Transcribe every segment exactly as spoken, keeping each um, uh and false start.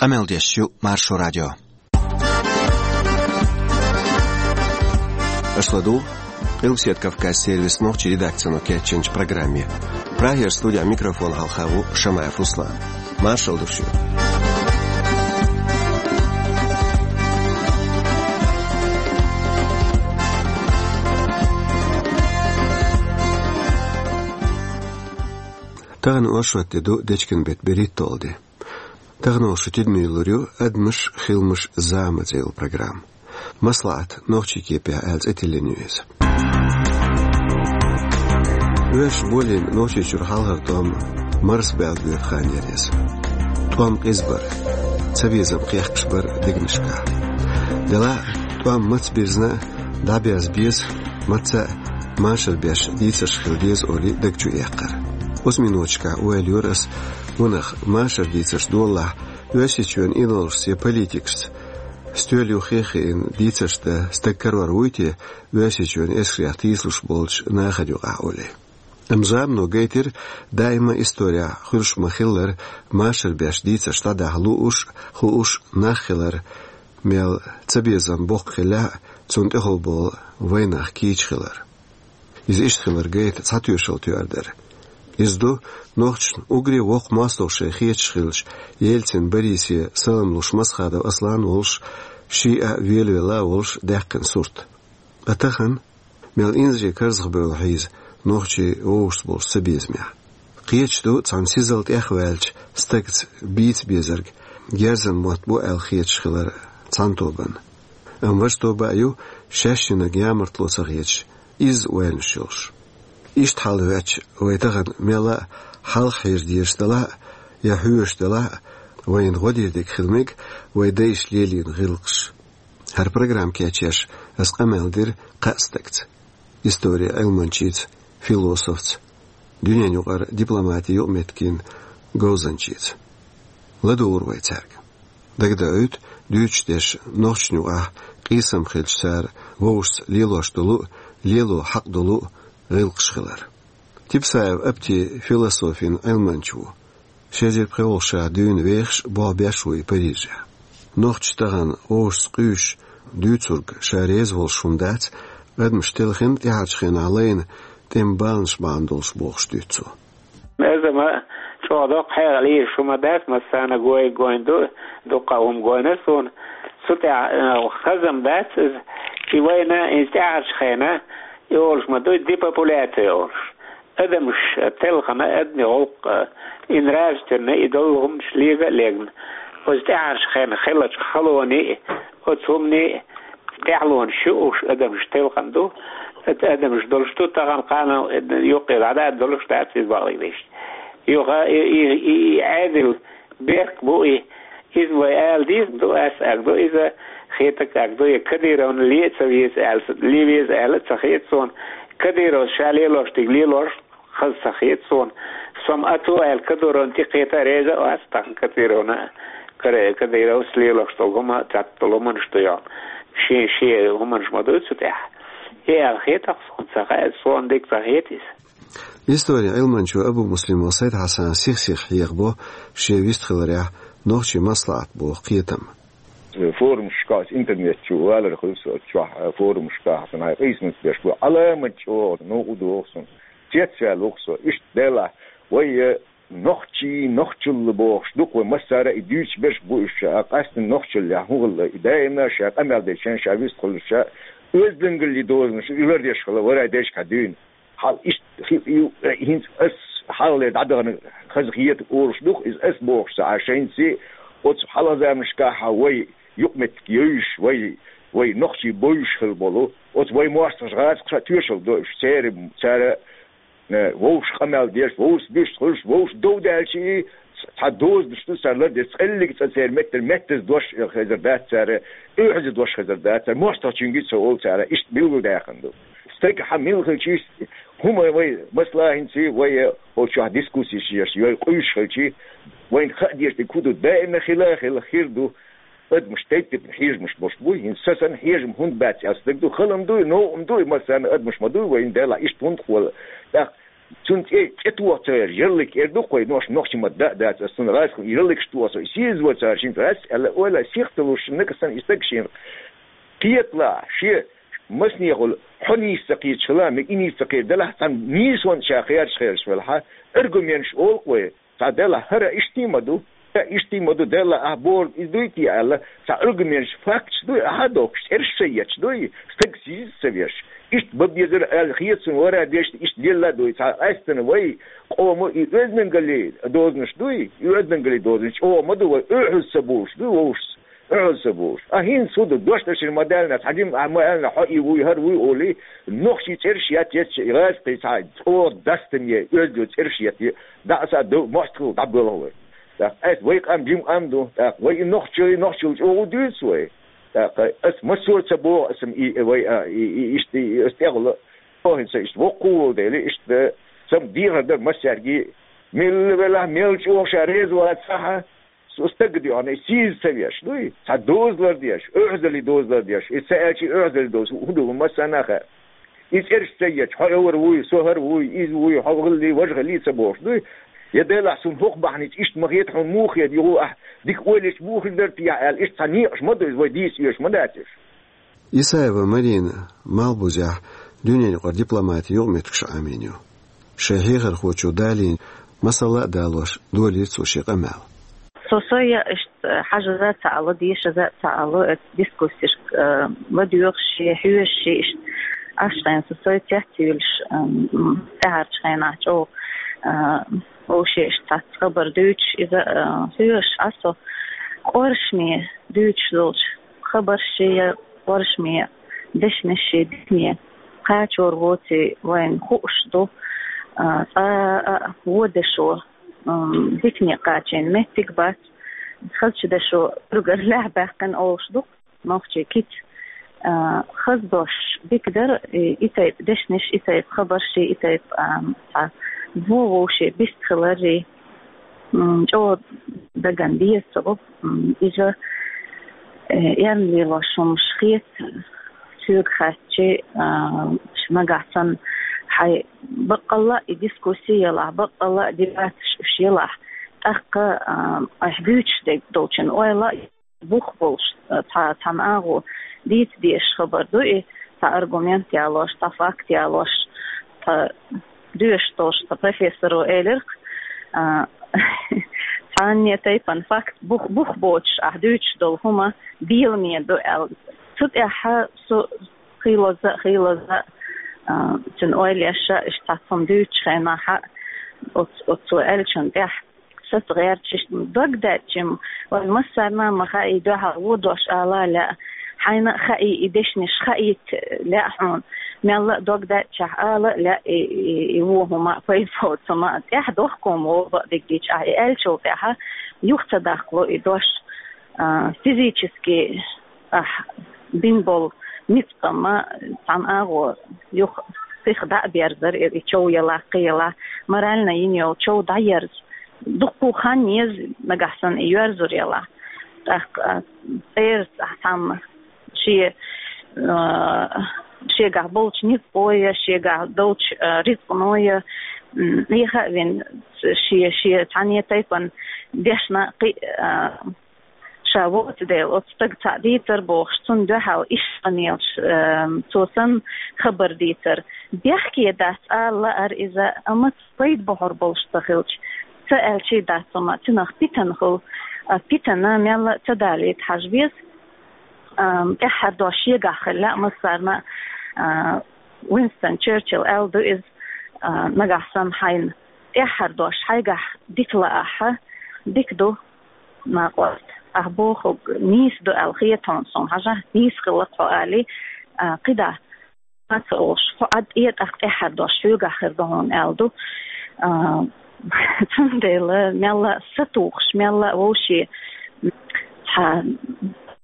Къамел деш ю Маршо радио. Аша ладугӀу Къилбаседа Кавказан сервисан нохчийн редакцино кечйинчу программе. Прагера студехь микрофон хьалха ву Шамаев Руслан. Маршалла ду шуьга. Тахана оршот де ду, дечкен беттан берхӀитталгӀа де. Тахана вай шун тидаме лур ю «Адамаш, хиламаш, заманца» олу программа. «МаслаӀат» нохчийн кепехь аьлла цӀе тиллина ю иза. Оьрсаша болийна Нохчийчуьра хьалхара тӀом марсабаьлла боьду хан яра иза. ТӀом къиза бара, цабезам кхехкаш бара дегнашкахь. Делахь а тӀом маца бирзина а, дӀаберза беза, маца а машар беш дийцарш хила деза олий даг чу эккхар. Оцу миноташкахь ойла йора ас, ванах, машар дийцарш долалахь, Оьрсийчоьнан идолашца я политикашца стоьла юххе а хиъна дийцарш дан стаг карор вуй те Оьрсийчоьнан эскарех тийсалуш болчу нахана юкъахь олий. Амма замано гайтира, даима исторехь хуьлуш ма-хиллара, машар беш дийцарш дӀадахьа лууш а, хууш а нах хилар, мел цабезам боккха хиллехь а, цунна тӀехула болу вайнах кийча хилар. Иза иштта хилар гайта цхьа тоьшалла тоьар дара. Иза ду нохчашна уггаре воккха мостагӀа шайн хеташ хилча, Ельцин Борисе салам луш Масхадов Аслан волуш, шиъ а велавелла а волуш, даьккхина сурт. Ткъа тахана, мел инзаре карзахбевлла хьийза, нохчий вовшашца болчу цабезамехь. Кхеташ ду цхьана сизал тӀехваьллачу стагца бийца безарг герзан мотт бу аьлла хеташ хилар цхьана тобанна. Амма важа тоба а ю, шаьш йинарг ямартло ца хеташ, изза ойланаш йолуш. Иштта хьал хӀоьттича, вай тахана мелла а хьалха хьежа дезаш делахь а, я хьоьжуш делахь а, вайна гӀо дийр дерг хила мега вай дайша лелийна гӀиллакхаш. ХӀара программа кечъеш ас къамел дира кхаа стагца: историн Ӏилманчица, философца, дуьненан юкъара дипломатин юкъаметтиган говзанчица. ЛадугӀур вай цаьрга. ДагадаӀуьйту, дуьйцуш дерш нохчашна юкъахь къийсам хилча, цара вовшашца лелош долу а, лело хьакъ долу а гӀиллакхаш хилар. Типсаев Апти философин Ӏилманча ву. Ши эзар пхи волу ша дуьйна вехаш а, болх беш а ву и Парижехь. Нохчаша тахана вовшашца къуьйсуш, дуьйцург ша реза волуш хӀума дац, адамаш телхина, тӀаьхьарчу хенахь лайна тӀеман баланаш бахьана долуш, бохуш дуьйцу цо. Иза ма чӀогӀа доккха хьекъал йолуш хӀума дац, массарна гой-, гойн ду, дуккха а хӀума гойна суна. Цу тӀехь, э, хазам дац иза, и вайна, иза тӀаьхьарчу хенахь, и олуш ма дуй, депопуляция олуш. Адамаш телхина, адамийн гӀуллакх, э, и нравственный, и долу хӀуманаш лега а легна. Оцу тӀаьхьарчу хенахь хиллачу халонийн, оцу хӀуманийн тӀаьхьалонаш ю уьш, адамаш телхина ду, адамаш долуш ду, тахана кхана юккъе дӀа а долуш дац иза бакъдерг дийцича. Юха и, и, и, и Ӏедал бехк бу и, иза вай ала деза ду, ас аьлла ду, иза хетарг аьлла ду, я Кадыровна ле а ца веза аьлла, ле веза аьлла а ца хета суна. Кадыровс ша лелош дерг лелош хаза ца хета суна. Со-м ацо аьлла, Кадыровна тӀекхета а реза а вац, тахана Кадыровна, Кадыровс лелош долу хӀума, цхьацца долу хӀуманаш ду йолу. Шен, шен хӀуманаш ма дуй цу тӀехь. И аьлла хета-кх суна, ца хаьа, суна дика ца хета иза. Историн Ӏилманчо Абумуслимов Сайд-Хьасан сих-сиха хьехабо шен вистхиларехь нохчийн маслаӀат боху кхетам. Форумашкахь, интернет чу валар хуьлу со, оцу чохь, форумашкахь сан хьайн къийсамаш беш бу, Ӏаламат чӀогӀа новкъа догӀу суна. Цецваьлла ву-кх со, иштта делахь, вай, э, нохчий, нохчалла бохуш ду-кх вай, массара а и дуьйцуш берш бу уьш, ша къаьсттина нохчаллехь хӀун хилла, и даимна ша къамел дечарна, ша вистхуьлуш, ша оьздангаллин дозанаш и лардеш хилла, вара дешкахь дуьйна. Хьал иштта хи-, ю-, хӀинца ас хьалхале дӀадахана хаза хета олуш ду-кх иза, ас бохуш ца Ӏаш, хӀинца оцу хьалха заманашкахь вай юкъаметтиг йовзуш, вай, вай нохчий бовзуш хилла болу, оцу вай мостагӀчу гӀазакхаша тоьшалла до уьш, церан, цара, э, вовшах къамел деш, вовшашца вистхуьлуш, вовшашца дов даьлча и, цхьа дозанаш ду цара лардеш, цкъа а цӀа церан меттара меттаза дош хезар дац цара, оьгӀаза дош хезар дац цара, мостагӀчуьнга ца олу цара, иштта билгалдаьккхина ду. Стаг хьан мила хилча, хӀума вай, масала, хӀинца вай, э, хӀокху чохь дискуссеш еш, вай къуьйсуш хилча, вайна хаа дезаш дерг хӀун ду, даимна хила а хилла хир ду, адамаш тайп-тайпана хьежамаш болуш бу, хӀинца сан санна хьежам хӀунда бац аьлла стаг ду, хала-м ду, новкъа-м ду, массарна адамаш ма ду, вайна делахь иштта хӀунда хила. ТӀаккха Цунна цӀе, цӀе тоха ца гӀерташ, ярлык эр ду-кх вай, нош, нохчийн маттахь дац, ас цунна гӀазкхийна ярлыкаш тоха со, сийсаз ца гӀерташ, цӀе а ала, ойла, сихталуш, нагахь санна и стаг шена кхеталахь, шен массанехула хьо нийса ца кхеташ хилахь, мегаш и нийса ца кхетар далахь, цхьана нийсонна ша кхераш-кхераш велахь, аргументаш олу-кх вай, цхьа делахь, хӀара иштта ма ду, хӀара иштта ма ду, делахь, ахь бохург иза дуй те аьлла, цхьа аргументаш, факташ дуй ахь а дохкуш, цӀераш ца етташ дуй, стаг сийсаз ца веш. Иштта бан безара аьлла хета суна, вара дешна иштта лелла а дуй, цхьа къаьстина вай къоман и оьздангаллин дозанаш дуй, и оьздангаллин дозанаш чӀогӀа ма ду вай, оьгӀаз ца болуш дуй вовшашца, оьгӀаз ца болуш. А хӀинца хӀун ду, дош дашар ма даьлла, цхьа жима ахь ма аьлла, хьо и вуй, хӀара вуй олий, нохчийн цӀераш етта, етта, и гӀазкхий цхьа чӀогӀа дастаме, оьзда цӀераш етта, дӀа а ца а ду, мостагӀалла дӀабоьлху вай. ТӀаккха ас, вай къам жима къам ду, тӀаккха вай и нохчий, нохчалла чӀогӀа дуьйцу вай. ТӀаккха ас массо а ца боху, ас-м и, вай, а, и, и, иштта, и, ас тӀехула, хӀинца иштта воккха волу дела, иштта сам дехар дара массаьрга, мелла велахь, мел чӀогӀа ша реза вацахь, со стаг а дуьхьал, и сийсаз ца веш дуй, цхьа дозалла деш, оьгӀазаллин дозалла деш, и ца аьлча и оьгӀазаллин доза хӀун ду, массарна а хаьа. И цӀераш ца етташ, хьо хӀара вуй, со хӀара вуй, иза вуй, хьо хӀаллий, важа хӀаллий ца бохуш дуй. Я делахь, суна хӀокху бахьаница иштта ма хета хьуна, муха хета, юха ахь дика ойла ечу муха хир дара те аьлла, иштта цхьа некъаш ма ду иза, вай дийца оьшуш ма дац уьш. Исаева Марина Малхбузехь дуьненаюкъара дипломатин юкъаметтигаш Ӏамийна ю. Шайн хьехархочо далийна масала а далош, долийра цо шен къамел. Со сой а иштта хьажаза а ца Ӏало, дешаза а ца Ӏало, оцу дискуссешка, э, ладоьгӀуш, хьоьжуш иштта. Аш хьайна со сой цецвуьйлуш, м, тӀаьхьарчу хенахь чӀогӀа, э, вовшийн иштта цхьацца хабар дуьйцуш, иза, э, хьоьжуш Ӏа со, къоршаме дуьйцуш долчу хабарш я къоршаме дешнаш я дикане кхачор воций вайна хууш ду, а, цкъа а вон дешо, м, дикане кхачийна меттиг бац, хазачу дешо уьргар лаьхьа баьккхина олуш ду-кх нохчийн кица. А, хаза дош дика дара, и, и тайпа дешнаш, и тайпа хабарш, и тайпа, а, цхьа вон вовшийн бист хилар, и, м, чӀогӀа дагана деза ца гӀо, м, иза, э, эрна лелош хӀумаш хета, соьга хаьттича, а, нагахь санна хьайн баккъалла а и дискусси елахь, баккъалла а дебаташ уьш елахь, тӀаккха, а, айхьа буьйцуш дерг долчун ойла а бух болуш, а, цхьа, цхьана агӀо дийца дезаш хабар ду и, цхьа аргумент ялош, цхьа факт ялош, цхьа доьшуш долуш цхьа профессоро элира-кх, а, цхьанне тайпана факт бух, бух боцуш ахь дуьйцуш долу хӀума беламе ду аьлла. Цу тӀехь со хийлаза а, хийлаза а, а, цуьнан ойла еш а, иштта цхьацца хӀума дуьйцучу хенахь а, оц-, оццо аьллачун тӀехь саца гӀерташ, иштта дог даьттича-м, вайн массарна а ма хаьа и дуьхьал вон дош ала а лаьа, хьайна а хаьий и дешнаш хаийта лаьа хьуна. Мелла а дог даьттичахь ала а лаьа и, и, и вон хӀума а, пайда боцу хӀума а, тӀаьхьа дохко-м вон бакъдерг дийцича ахь и аьллачул тӀаьхьа юха ца даккхало и дош, а, физически ахь бина болу ницкъ-м цхьана агӀор юха сиха дӀа а берзар, и, и чов ялахь, кхин ялахь, морально йина йолу чов дӀаерза. Дуккха хан еза нагахь санна и йоьрзур ялахь. ТӀаккха, а, церан цхьамма шен, а, шегахь болчу ницкъо я, шегахь долчу, а, рицкъано я, м, Ӏеха а вина, шен, шен цхьанне тайпана дешна кхин а, а, ша воцу дела, оцу стага цхьаъ дийцар бохуш, цунна дуьхьал иштта къамелаш, эм, цо санна хабар дийцар. Бехке дац ала лаар иза, амма пайда бохьур болуш ца хилча, ца аьлчий дац, амма цунах питана хуьлу, а, питана мелла а ца далийта хьажа беза. Эм, тӀаьххьара дош шегахь хила лаьа массарна а, а, Уинстон Черчилл аьлла ду иза, а, нагахь санна хьайна тӀаьххьара дош хьайгахь дика лаахь, дика ду, накъост, ахь бохург нийса ду аьлла хета хьуна суна, хьажахь, нийса хилла-кх хьо алий, а, кхидӀа, ма ца олуш, хьо Ӏад тӀе тӀаккха тӀаьххьара дош хьоьгахь хир ду хьуна аьлла ду. А, цундела мелла а сатухуш, мелла а вовшийн цхьа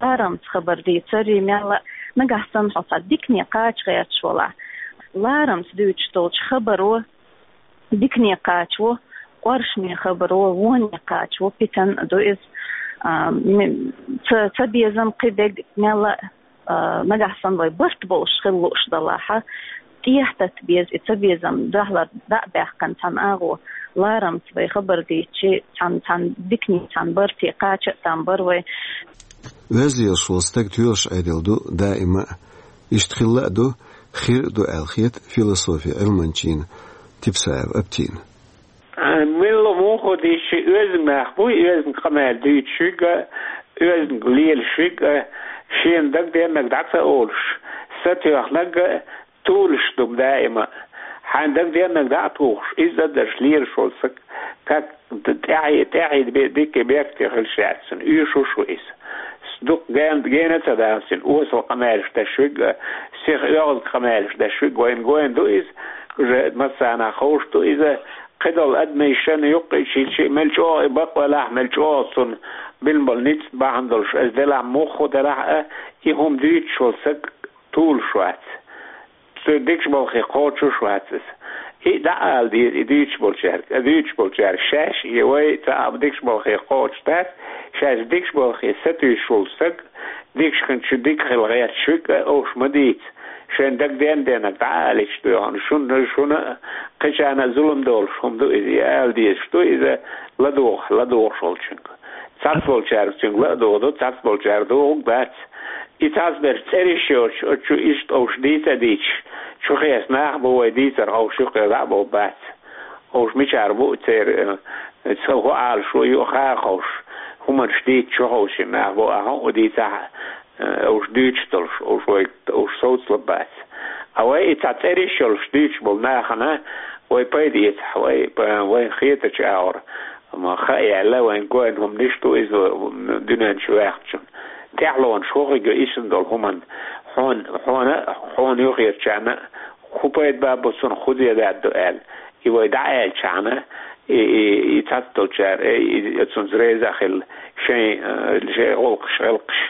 ларамца хабар дийцаре, мелла а нагахь санна хьо цхьа дикане кхача гӀерташ валахь, ларамца дуьйцуш долчу хабаро дикане кхачаво, къоршаме хабаро воне кхачаво, питана а ду иза. А, м-, ца, ца безам кхин дерг мелла а, а, нагахь санна вай барт болуш хила лууш далахь, эхь тата беза, и цабезам духьалара дӀа а баьккхина цхьана агӀо, ларамца вай хабар дийцча, цхьана, цхьана диканийн, цхьана барте кхача а там бар вай. Оьзда лелаш вола стаг тоьлуш Ӏедал ду даима а. Иштта хилла а ду, хир а ду аьлла хета философи Ӏилманчийн Типсаев Аптина. Милла муха дийцча, оьзда нах буй, оьзда къамел дуьйцуш верг а, оьзда лелаш верг а, шена дагаденнарг дӀа ца олуш, сатоьхнарг а, тулуш ду даима. Хьайна дагаденнарг дӀа а тухуш, иза а дарш лелаш волу саг, как тӀаьхье, тӀаьхье бе-, дикка бехке хилча яц цунна, уьш ву шу иза. Дукха ген-, гена ца даха цуьнан, осал къамелаш деш верг а, сиха оьгӀазкъа къамелаш деш верг а, вайна гойн ду иза, уже массарна ховш ду иза, кхидолу адамашна юккъе чийчи, мел чӀогӀа и бакъ велахь, мел чӀогӀа цунна бина болу ницкъ бахьана долуш, аса делахь муххо делахь а, и хӀума дуьйцуш волу саг тулуш вац. Цу дикачу балхе кхочуш вац аса. И дӀа а ала деза, и дуьйцуш болчаьрга, а дуьйцуш болчаьрга шаьш, и вай цхьа а дикачу балхе кхочуш дац, шаьш дикачу балхе сатуьйсуш волу саг, дикачу хин чу дика хила гӀерташ верг а, овш ма дийца. Шайн дагаден-деннарг дӀа а алийча ду хьуна, шуна, шуна а, кхечарна а зулам долуш хӀума ду иза, и ала дезаш ду иза, ладугӀу, ладугӀуш волчуьнга. Цхьацца болчаьрга цуьнга ла а дугӀу ду, цхьацца болчаьрга дугӀург дац. И цхьацца берш цӀераш йоцуш, оцу чу иштта овш дийца а дийцаш, чу хеса нах а бу вай дийцар, овш юккъе дӀа а бовла бац. Овш мичара бу церан, э, ца хӀу Ӏалашо ю а хаа ховш, хӀуманаш дийца чу ховшина нах бу, а хӀун а дийцахь а, э, овш дуьйцуш долуш, овш вай, овш совцалур бац. А вай и цхьа цӀераш йолуш дуьйцуш болу нахана вай пайда эцахь, вай, вайна хетачу агӀор, ма хаа яьлла, вайн гойн хӀуманаш ду иза дуьнен чу ваьхначун. ТӀаьхьалонаш хӀу хиг ю ишна долу хӀуманна, хьуна, хьуна, хьуна юххерчарна хӀу пайда бу цунах, хӀу зе даьдда ду аьлла. И вай дӀа а аьллачхьана, и, и, и цхьацца долчара, и, и, цунца реза а хилла, шайн, э, шайн гӀуллакхаш, гӀиллакхаш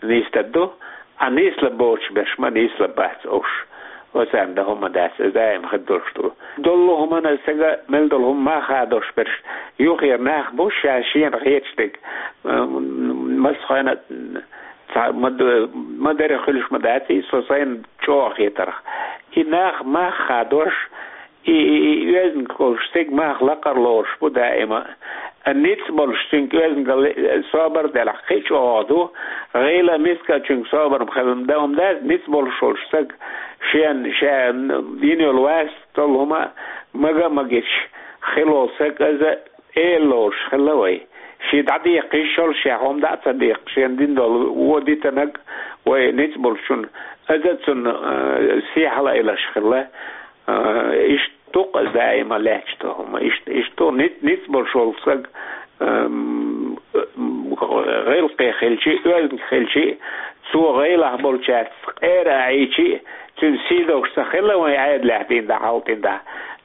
нисдадду, а нислабоцуш берш ма нислабац овш. Оцарна дан хӀума дац, иза даим хир долуш ду. Доллу хӀуманна сага мел долу хӀума ма хадош берш, юххера нах бу ша шена хеташ дерг, э, массахойн а, цхьа ма д-, ма дарра хуьлуш ма дац, и со сайна чӀогӀа хетарх. И нах мах хадош, и, и, и оьзанга волуш стаг мах лакхара лоруш бу даима. А ницкъ болуш цуьнга оьзанга ле-, собар а делахь, кхин а чӀогӀа ду, гӀийла а, миска а цуьнга собар ма хила ма дац, ницкъ болуш волуш стаг шен, ша йина йолу вац, долу хӀума мага а магийча, хила волу стаг иза эла лоруш хилла вай. Шен дӀадеккха йиш йолуш, шен хӀума дӀа а ца деккха, шена дина долу вон дитанарг вай ницкъ болчунна, иза цунна, э, сий хьалаилаш хилла. Э, иштта ду-кх иза даима лаьтташ долу хӀума. Иштта, иштта ду ниц-, ницкъ болуш волу стаг, эм, гӀиллакхе хилчи, оьзанга хилчи, цо гӀайлахь болчаьрца къера а Ӏийчи, цуьнан сий долуш ца хилла вайн Ӏедалехь дийна дӀа, хьалтӀина дӀа.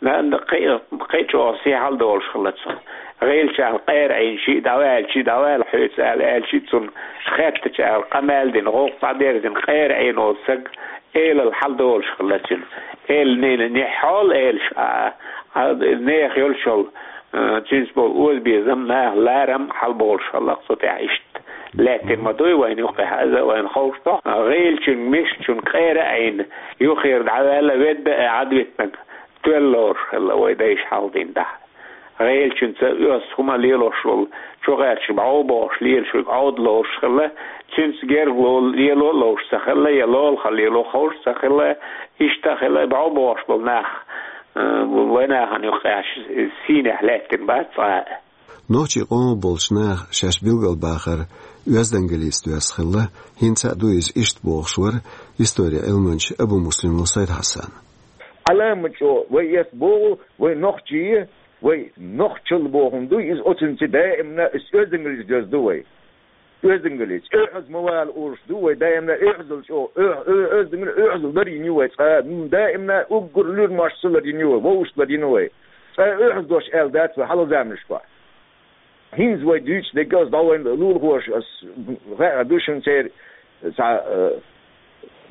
На-, на-, кхин, кхин чӀогӀа сий хьал долуш хилла цунна. ГӀийлачарна къера Ӏийна, шиъ дӀаваьлчи, дӀавала хьоьца ала аьлчи, цунна хеттачарна къамел дина, гӀуллакх дӀадерзина, къера Ӏийна волу стаг элал хьал долуш хилла цуьнан. Эла нина, нехь хьол элаш, а, а, нехан йолчул, а, цуьнца болу озабезам, наха ларам хьал болуш хилла цу тӀехь иштта. Лаьттина ма дуй вайна юккъехь, иза вайна ховш ду. ГӀийлачуьнга, мискачуьнга къера а Ӏийна, юххера дӀаваьлла, ведда а Ӏадвитинарг тоьлла лоруш хилла вай дайша хьалдина дӀа. ГӀийлачуьнца оьзда хӀума лелош волу, чу гӀерташ бӀов бохуш лелаш верг Ӏовда лоруш хилла, цуьнца герга ло-, лело а лоруш ца хилла, я лолахь лело ховш ца хилла, иштта а хилла, бӀов бохуш болу нах, э, вайн нахана юккъехь сийнехь лаьттина бац цкъа а. Нохчийн къомах болчу наха шаьш билгалбахар оьздангаллица доьзна хилла, хӀинца а ду иза иштта бохуш вара историн Ӏилманча Абумуслимов Сайд-Хьасан. Ӏаламат чӀогӀа вай эс боху, вай нохчий, вай нохчалла бохург ду иза, оцунца даимна иза оьздангаллица доьзна ду вай. Оьздангаллица. Оьгьаз ма вала уьш ду вай, даимна оьгьазалла чӀогӀа, оьгь-, оь-, оьздангалла оьгьазалла дар йина ю вай цкъа, м, даимна уггар луьра мостагӀчул дар йина ю вай, вовшашкул дар йина вай. Цкъа оьгьаз дош аьлла дац вай хьалха заманашкахь. ХӀинца вай дуьйцу дерг ас дӀа вайн лулахоша, ас хаьа ду шуна церан, цхьа, э,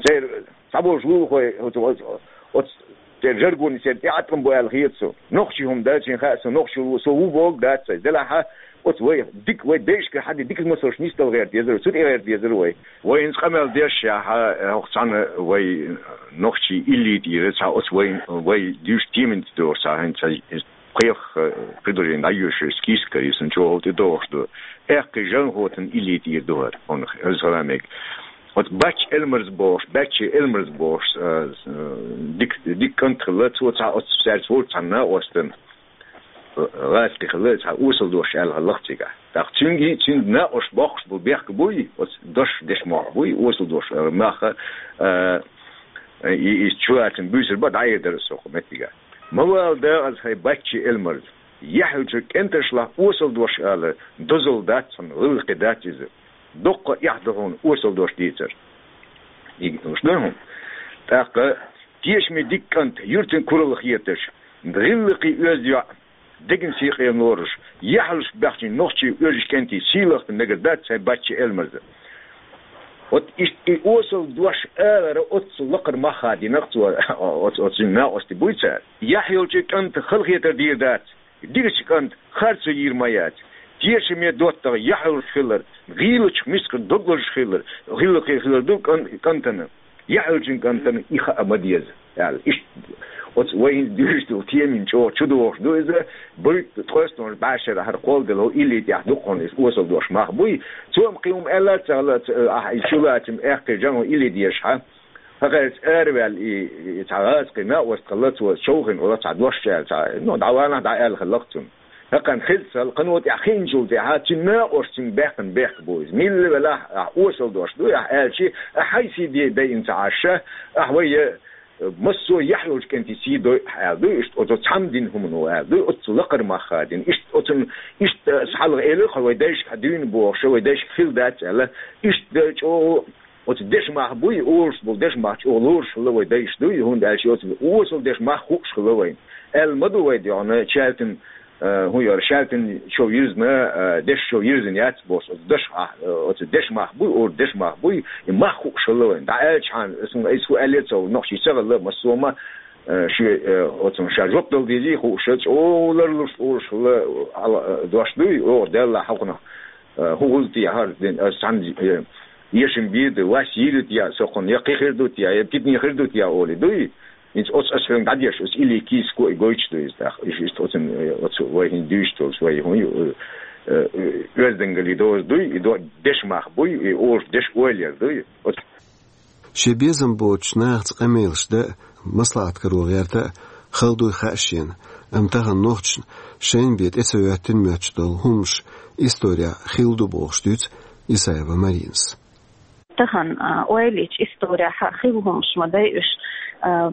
церан цхьаболчу лулахой, оцу, оцу, оцу церан жаргонца церан тӀеӀаткъам бу аьлла хета суна. Нохчийн хӀума дац, шайна хаьа суна, нохчо ву, со ву бохург дац сайна. Делахь а, Оцу вай дика, вай дайшкара хьаде дика масалш нисдала гӀерта езар, цу тӀе гӀерта езар вай. Вай хӀинца къамел деш яхьа, хӀокху цхьана вай нохчий илли тӀера цхьа оцу вай, вай дуьйш темин тӀе догӀуш цхьа хӀинца кхех, э, предложение дӀайоьшуш, список карийсан чӀогӀа тӀе догӀуш ду. Аьккхий Жан-ГӀотан илли тӀера ду хӀара, хьуна хеза хила мега. Оцу Баьчча Элмарза бохуш, Баьчча Элмарза бохуш, э, э, дика, дика кӀант хилла, цо цхьа оцу цаьрца волчу цхьана накъостан, э, гӀазкхи хилла, цхьа осал дош аьлла хилла-кх цигахь. ТӀаккха цуьнга, цуьнан накъост боккхуш болу бехк буй, оцу дош деш мохь буй, осал дош, э, маха, э, и, и чулацам буьйсур бан дӀаэр дара со кху меттигахь. Ма вала дагӀаза хьайн Баьчча Элмарза. Яхь йолчу кӀенташлахь осал дош ала дозалла дац хьуна, гӀиллакхе дац иза. Доккха эхь ду хьуна осал дош дийцар. И уьш ду хьуна. ТӀаккха тешаме дика кӀант, юьртан куралла хеташ, гӀиллакхе оьзда йоӀ, деган сий къена лоруш, яхьалш баьхчийн нохчийн оьжуш кӀентий сийлахь мегар дац хьайн Баьчча Элмарза. Вот иштта и осал дош алара оццул лакхара мах хадийна-кх цо, оцу, оцу накъостий буй цара. Яхь йолчу кӀанта халахетар дийр дац, дикачу кӀанта харцо йийр ма яц. Тешаме доттагӀа яхь йолуш хилар, гӀийлачух мискара дог лозуш хилар, гӀиллакхе хилар ду кӀан-, кӀантана. Яхь йолчун кӀантана и хаа ма деза, аьлла. Иштта оцу вай хӀинца дуьйш долу темин чӀогӀа чудогӀуш ду иза, буьйт ткъостанхьа бӀешара хӀара кхолладелла хӀу илли тӀехь дукха хьуна иза осал дош мах буй. Цо-м кхин хӀума аьлла а ца хилла, ца, ахь и чулацам аьккхий Жан-ГӀо илли дезаш хьан. ХӀокхаьрца араваьлла и, и цхьа гӀазкхи накъост хилла, цо човхина хилла цхьа дош аьлла, цхьа, ну, дӀаванахь дӀааьлла хилла-кх цунна. ХӀокхарна хеза ца хилла, кхано тӀехь хиъначул тӀаьхьа цуьнан накъост цуьнга баьккхина бехк бу иза. Милла велахь, ахь осал дош дуй ахь аьлчи, ахь хьайн сий де дайина ца Ӏаш, ахь вай, э, массо а яхь йолчу кӀентий сий дой ахь аьлла дуй, иштта оцу цхьамма дина хӀумано аьлла дуй, оццул лакхара мах хадийна. Иштта оцунна, иштта аса хьалха элира-кх вай дайшка хьан дуьйна бохуш, вай дайшка хила дац аьлла, иштта чӀогӀа оцу дешан мах буй, олуш болу дешан мах чӀогӀа лоруш хилла вай дайша дуй, хӀунда аьлча оцу осал дешан мах хууш хилла вайна. Аьлла ма ду вай дуьхьал, шаьлтан, э, хӀун яра, шаьлтан шов йирзина, э, дешан шов йирзина яц бохуш, оцу дешан мах, э, оцу дешан мах буй, олу дешан мах буй, и мах хууш хилла вайна. ДӀааьлча хьан, суна иза хӀу аьллера ца хилла, нохчий ца хилла, массо а ма, э, шен, э, оцунна ша жоп дала дезий хууш, чӀогӀа ларлуш олуш хилла, хьала, э, дош дуй, оха Далла хьокхунах. Э, хӀун гӀуллакх те хӀара дин, аса цхьаьна, э, эшам бийр ду, вас йийр ю те, со кхунна я кхин хир ду те, я питане хир ду те олий дуй. ХӀинца оцу аса хьоьга дӀадеш, оцу илли кийсако и гойтуш ду иза тӀаккха. Иштта, иштта оцун, э, оцу вай хӀинца дуьйцуш долуш, вай хӀун ю, э, э, оьздангаллин доза дуй, и до-, дешан мах буй, и олуш дешан ойла яр дуй. Оцу Шен безам боцучу нахаца къамелаш дан а, маслаӀат каро гӀерта а хала дуй хаьа шена, амма тахана нохчашна шайна бен тӀе ца хӀоьттина моьттуш долу хӀуманаш исторехь хилла ду бохуш дуьйцу Исаева Маринас. Тахана, а, ойла йича, исторехь хилла хӀуманаш ма дай уьш, а,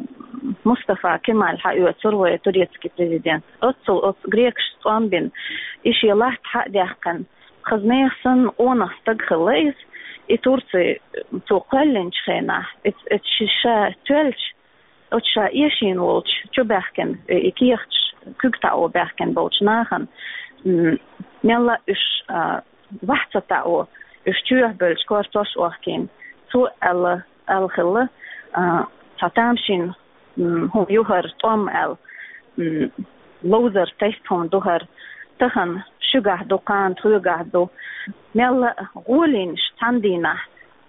Мустафа Кемаль хьаоьцура вай турецкий президент. Оццул оцу грекашца тӀом бина, и шен латта хьа а даьккхина, хаза нехан санна къонах стаг хилла иза, и Турци цо кхоьллинчу хенахь, эц-, эц ши-, ша тоьлча, оцу ша эшийна волчу чу баьхкина, и кехаташ куьг таӀо баьхкина болчу нахана, м, мелла а уьш, а, ваьхьа ца таӀо, уьш чоьхьа бевлча кортош охкийна. Цо аьлла, аьлла хилла, а, цхьа тамашийна м, хӀума ю хӀара тӀом аьлла, м, ловзар тайпа хӀума ду хӀара. Тахана шуьгахь ду, кхана тхоьгахь ду. Мелла а гӀолийнаш цхьана дийнахь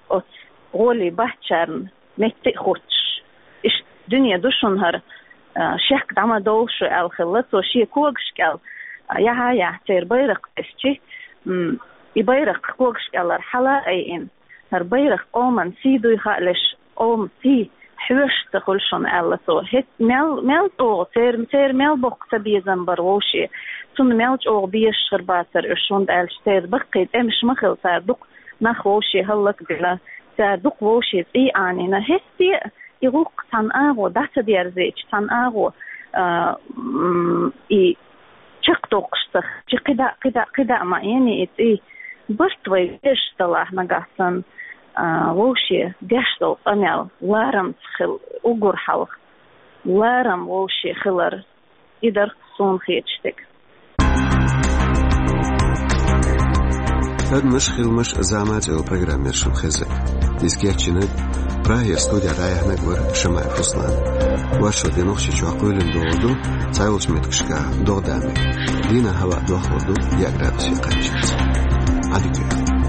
оцу гӀоле баьхкинчарна метта а хуттуш. Иштта дуьне ду шуна хӀара, а, шек дӀа ма довла шу аьлла хилла цо шен когаш кӀел, а, яхьа-яхьа церан байракх тесчи, м, и байракх когаш кӀелара хьала а айина. ХӀара байракх къоман сий дуй хаалаш, къоман сий хьоьжуш ца хуьлу шуна аьлла цо. ХӀетта мел, мел чӀогӀа, церан, церан мел боккха цабезам бара вовше. Цунна мел чӀогӀа безаш хир бацара уьш, хӀунда аьлча церан баккхий тӀемаш ма хилла, цара дукха нах вовше хӀаллакбина, цара дукха вовше цӀий Ӏанийна. ХӀетте а и гӀуллакх цхьана агӀо дӀа ца дерзийча, цхьана агӀо, а, м, и чекхдоккхуш ца хилча, кхидӀа, кхидӀа, кхидӀа ма Ӏений и цӀий. Барт вай везаш далахь нагахь санна, а, вовше деш долу къамел ларамца хила уггар хьалха. Ларам вовше хилар, и дара суна хеташ дерг. Адамаш, хиламаш, зама цӀе йолу программа яра шуна хезна. Иза кечйинарг Прагера студера дӀаяьхьнарг вара Шамаев Руслан. Вайша деношка чохь кхоьлина догӀа ду, цхьайолчу меттигашкахь догӀа дан мега. Дийнахь хӀаваъ дохлур ду яа градусе кхаччалц. Ӏадика.